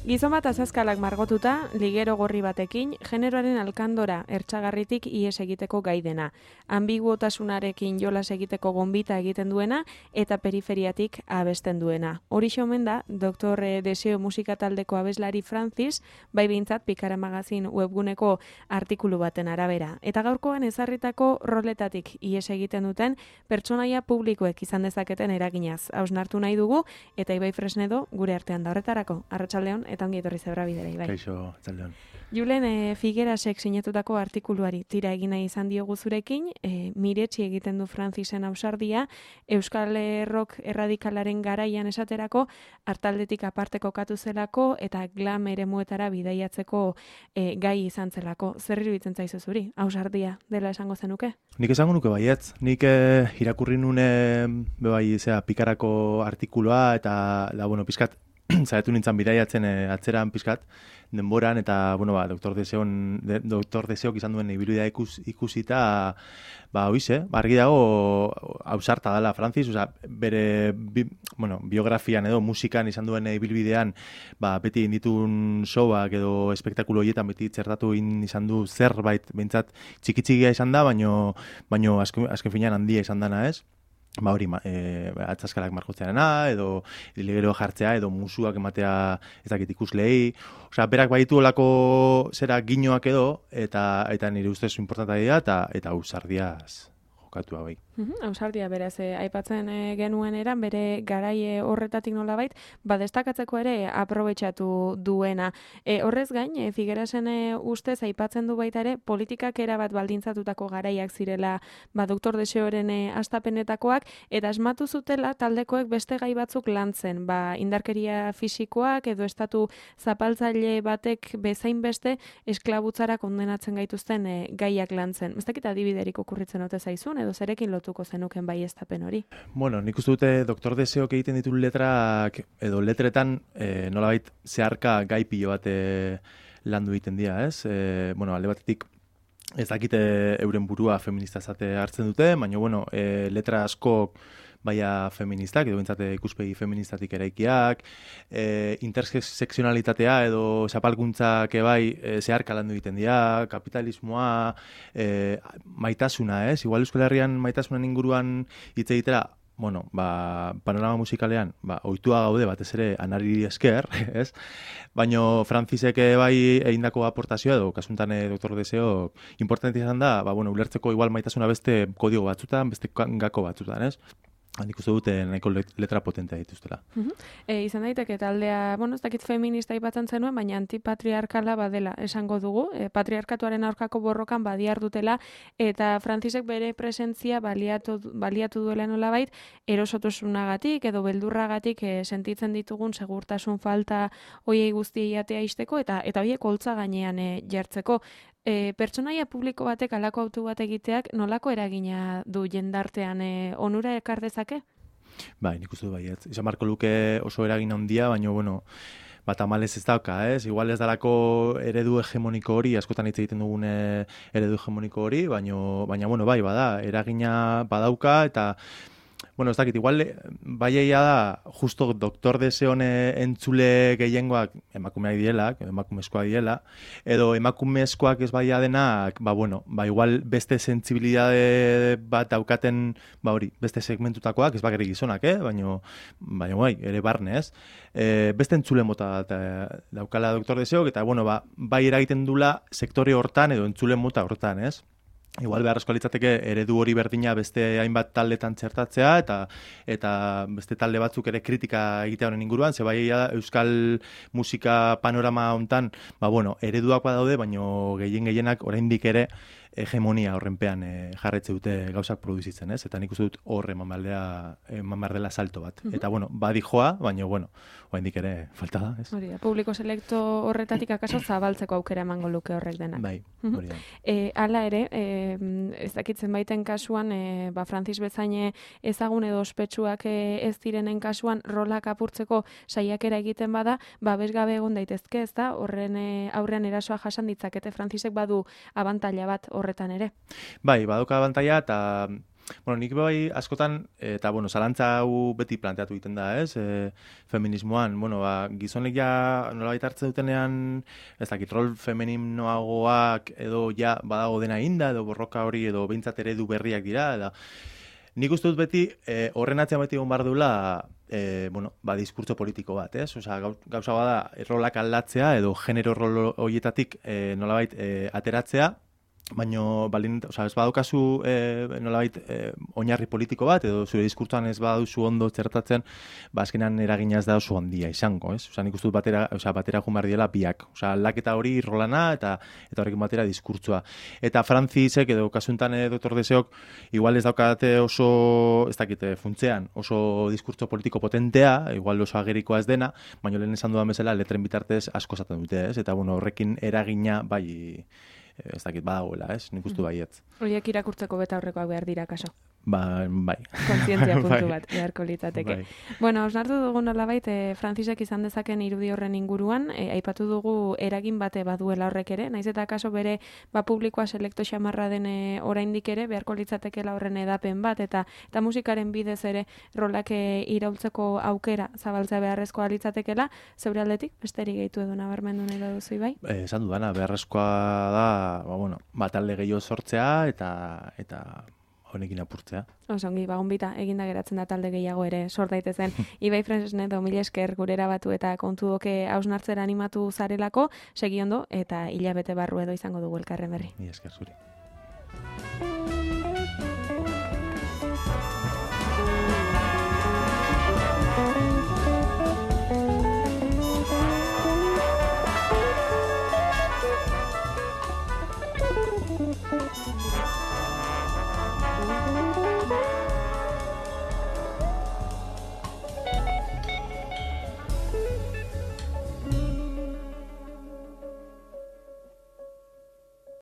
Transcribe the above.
Gizon bat azazkalak margotuta, ligero gorri batekin, generoaren alkandora ertsagarritik ihes egiteko gai dena. Ambiguotasunarekin jolas egiteko gonbita egiten duena eta periferiatik abesten duena. Horixe omen da, Dr. Deseo musika taldeko abeslari Francis, bai behintzat Pikara magazin webguneko artikulu baten arabera. Eta gaurkoan ezarritako roletatik ihes egiten duten pertsonaia publikoek izan dezaketen eraginaz. Hausnartu nahi dugu, eta Ibai Fresnedo gure artean da horretarako. Arratsaldeon eta ongi etorri zebra bidera, Ibai. Kaixo, arratsaldeon. Julen, Figuerasek sinatutako artikuluari tira egin nahi izan diogu zurekin, miretsi egiten du Francisen ausardia, Euskal Rock erradikalaren garaian esaterako, hartaldetik aparte kokatu zelako eta glam eremuetara bidaiatzeko gai izan zelako. Zer iruditzen zaizu zuri? Ausardia dela esango zenuke? Nik esango nuke baietz. Nik irakurri nune Pikarako artikulua eta pizkat zaitu nintzen bidaiatzen atzeran pizkat denboran eta Dr. Deseok izan duen ibilbidea ikusita argi dago ausarta dela Francis, bere biografian edo musikan izan duen ibilbidean beti inditun showak edo espektakulo horietan beti txertatu izan du zerbait behintzat txiki-txikia izan da, baino azken finean handia izan dana, ez? Atzaskalak margotzearena, edo ligero jartzea, edo musuak ematea ez dakit ikuslei. Berak baditu olako zera ginoak edo, eta nire ustez importanta dira, eta ausardiaz jokatu bai. Ausardia beraz, aipatzen genuen eran, bere garai horretatik nolabait, destakatzeko ere aprobetxatu duena. Horrez gain, Figuerasen ustez aipatzen du baita ere, politikak erabat baldintzatutako garaiak zirela Dr. Deseoren hastapenetakoak, eta asmatu zutela taldekoek beste gai batzuk lantzen, indarkeria fisikoak edo estatu zapaltzaile batek bezain beste esklabutzara kondenatzen gaituzten gaiak lantzen. Ez dakit adibiderik okurritzen ote zaizun, edo zerekin lotuko zenuken baieztapen hori? Nik uste dute Dr. Deseok egiten ditu letrak, edo letretan nolabait zeharka gai pilo bat landu egiten dira, ez? Alde batetik ez dakite euren burua feminista zate hartzen dute, baina letra asko baina feministak, edo bintzate ikuspegi feministatik eraikiak, interseksionalitatea edo zapalkuntzak zeharka landu egiten dira, kapitalismoa, maitasuna, ez? Igual Euskal Herrian maitasunan inguruan hitz egitera, panorama musikalean, ohitua gaude batez ere Anari esker, ez? Baina Francisek egindako aportazioa edo kasuntan Dr. Deseo importante izan da, ulertzeko igual maitasuna beste kodigo batzutan, beste gako batzutan, ez? Nik uste dute nahiko letra potentea dituztela. Izan daiteke taldea, ez dakit feminista aipatzen zenuen, baina antipatriarkala badela esango dugu. Patriarkatuaren aurkako borrokan badiar dutela, eta Francisek bere presentzia baliatu duela nolabait, erosotasunagatik edo beldurragatik sentitzen ditugun segurtasun falta hoiei guztiei atea isteko, eta hoiek holtza gainean jartzeko. Pertsonaia publiko batek alako autu bat egiteak nolako eragina du jendartean, onura ekar dezake? Nik uste du baietz. Izan marko luke oso eragin handia, baina tamalez ez dauka, ez? Igual ez dalako eredu hegemoniko hori, askotan hitz egiten dugun eredu hegemoniko hori, baina bada, eragina badauka, eta ez dakit, igual egia da, justo Dr. Deseon entzule gehiengoak emakumeak diela, emakumezkoak diela, edo emakumezkoak ez badia denak, igual beste sentsibilidade bat daukaten, beste segmentutakoak, ez bakarrik gizonak, baina ere barne, ez? Beste entzule mota daukala Dr. Deseok, eta bai eragiten dula sektore hortan edo entzule mota hortan, ez? Igual beharrezko litzateke eredu hori berdina beste hainbat taldetan txertatzea eta beste talde batzuk ere kritika egitea honen inguruan, ze euskal musika panorama hontan, ereduak badaude, baina gehienak oraindik ere hegemonia horrenpean jarretze dute gauzak produzitzen, ez? Eta nik uste dut hor eman behar dela salto bat. Eta badi joa, baina oraindik ere falta da, ez? Hori da, publiko selekto horretatik akaso zabaltzeko aukera emango luke horrek denak. Bai, hori da. Hala ere, ez dakitzen baiten kasuan, Francis bezaine ezagun edo ospetsuak ez direnen kasuan rolak apurtzeko saiakera egiten bada, babesgabe egon daitezke, ez da? Horren aurrean erasoa jasan ditzakete, Francisek badu abantaila bat horretan ere. Bai, badoka abantaila eta Bueno, nik bai askotan, eta bueno, zalantza hau beti planteatu egiten da, ez? Feminismoan, bueno, gizonek ja nolabait hartzen dutenean, ez dakit, rol femeninoagoak edo ja badago dena inda, edo borroka hori, edo behintzat eredu berriak dira, eta nik uste dut beti, horren atzean beti egon behar duela, bueno, diskurtso politiko bat, ez? Osea, gauza bada, rolak aldatzea, edo genero rol horietatik nolabait ateratzea, baina, osea, ez badaukazu nolabait oinarri politiko bat, edo zure diskurtsoan ez baduzu ondo txertatzen, azkenan eragina ez da oso handia izango, ez? Osea, nik uste dut batera joan behar diela biak. Osea, aldaketa hori rolana eta horrekin batera diskurtsoa. Eta Francisek edo kasuntan Dr. Deseok igual ez daukate oso, ez dakite, funtzean, oso diskurtso politiko potentea, igual oso agerikoa ez dena, baina lehen esan dudan bezala letren bitartez asko esaten dute, ez? Eta, bueno, horrekin eragina bai ez dakit badagoela, ez? Nik uste baietz. Horiek irakurtzeko beta horrekoak behar dira, kaso. Bai. Kontzientzia puntu bat, beharko litzateke. Bai. Bueno, osnartu dugu nolabait, Francisek izan dezaken irudi horren inguruan, aipatu dugu eragin bate baduela horrek ere, naiz eta kaso bere publikoa selekto xamarra den oraindik ere, beharko litzatekela horren edapen bat, eta musikaren bidez ere rolak iraultzeko aukera zabaltzea beharrezkoa litzatekela, zeure aldetik, besterik gehitu edo nabarmendu nahi baduzu bai? Esan dudana, beharrezkoa da, talde gehiago sortzea, eta honekin apurtzea. Osongi, gonbita, eginda geratzen da talde gehiago ere sort daitezen. Ibai Fresnedo, mila esker gurera batu eta kontu doke hausnartzera animatu zarelako, segi ondo, eta hilabete barru edo izango dugu elkarren berri. Mila esker zuri.